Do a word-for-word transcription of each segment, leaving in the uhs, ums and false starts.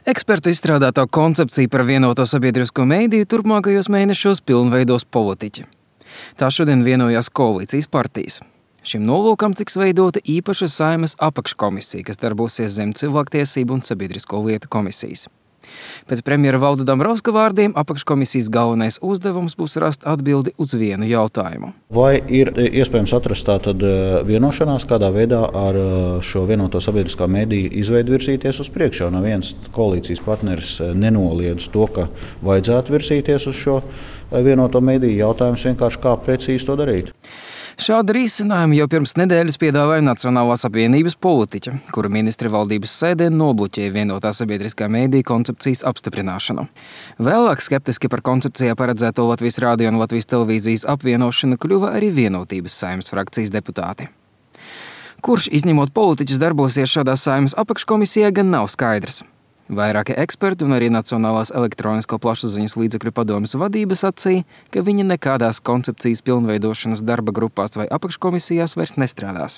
Eksperta izstrādātā koncepcija par vienoto sabiedrisko mediju turpmākajos mēnešos pilnveidos politiķi. Tā šodien vienojās koalīcijas partijas. Šim nolūkam tiks veidota īpaša Saeimas apakškomisija, kas darbosies zem cilvēktiesību un sabiedrisko lietu komisijas. Pēc premjera Valda Dombrovska vārdiem apakškomisijas galvenais uzdevums būs rast atbildi uz vienu jautājumu. Vai ir iespējams atrast tātad vienošanās, kādā veidā ar šo vienoto sabiedriskā mediju izveidu virzīties uz priekšu? No viens koalīcijas partneris nenoliedz to, ka vajadzētu virzīties uz šo vienoto mediju. Jautājums vienkārši, kā precīzi to darīt. Šādu risinājumu jau pirms nedēļas piedāvāja Nacionālās apvienības politiķa, kura ministri valdības sēdē nobloķēja vienotā sabiedriskā mediju koncepcijas apstiprināšanu. Vēlāk skeptiski par koncepcijā paredzēto Latvijas radio un Latvijas televīzijas apvienošanu kļuva arī Vienotības Saeimas frakcijas deputāti. Kurš, izņemot politiķus, darbosies šādā Saeimas apakškomisijā, gan nav skaidrs. Vairāki eksperti un arī Nacionālās elektronisko plašsaziņas līdzekļu padomes vadība sacīja, ka viņi nekādās koncepcijas pilnveidošanas darba grupās vai apakškomisijās vairs nestrādās.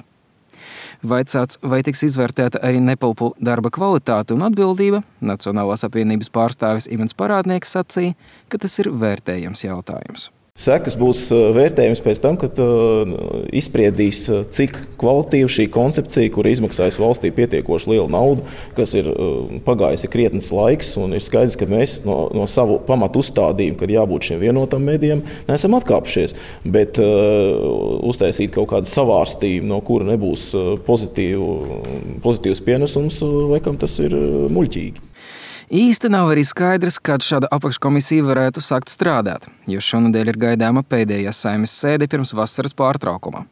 Vaicāts, vai tiks izvērtēta arī nepulpu darba kvalitāte un atbildība, Nacionālās apvienības pārstāvis Imants Parādnieks sacīja, ka tas ir vērtējams jautājums. Sekas būs vērtējums pēc tam, kad uh, izspriedīs, cik kvalitīva šī koncepcija, kura izmaksājas valstī pietiekoši lielu naudu, kas ir uh, pagājis ir krietnes laiks, un ir skaidrs, ka mēs no, no savu pamatu uzstādījumu, kad jābūt šiem vienotam medijam, neesam atkāpšies. Bet uh, uztaisīt kaut kādu savārstījumu, no kura nebūs pozitīvu, pozitīvs pienesums, laikam tas ir muļķīgi. Īsti nav arī skaidrs, kad šāda apakškomisija varētu sākt strādāt, jo šonadēļ ir gaidāma pēdējā Saeimas sēde pirms vasaras pārtraukuma.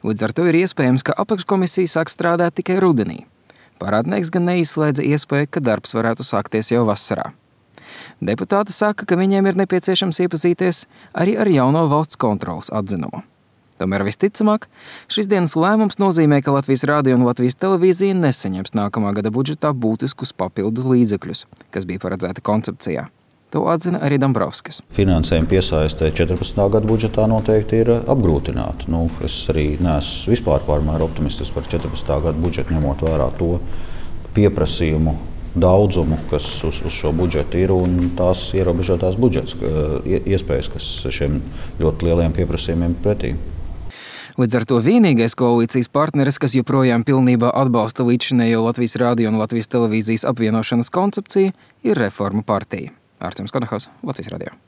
Līdz ar to ir iespējams, ka apakškomisija sāk strādāt tikai rudenī. Parādnieks gan neizslēdza iespēju, ka darbs varētu sākties jau vasarā. Deputāti saka, ka viņiem ir nepieciešams iepazīties arī ar jauno valsts kontroles atzinumu. Tomēr visticamāk, šis dienas lēmums nozīmē, ka Latvijas radio un Latvijas televīzija nesaņems nākamā gada budžetā būtiskus papildus līdzekļus, kas bija paredzēti koncepcijā. To atzina arī Dombrovskis. Finansējuma piesaiste četrpadsmitā gada budžetā noteikti ir apgrūtināta. Nu, es arī neesmu vispār pārmēr optimistisks par četrpadsmitā gada budžetu, ņemot vērā to pieprasījumu daudzumu, kas uz, uz šo budžetu ir, un tās ierobežotās budžets iespējas, kas šiem ļoti lieliem pieprasījumiem pretī. Līdz ar to vienīgais koalīcijas partneris, kas joprojām pilnībā atbalsta līdzšinējo Latvijas radio un Latvijas televīzijas apvienošanas koncepciju, ir Reformu partija. Ārstjums Kodahaus, Latvijas radio.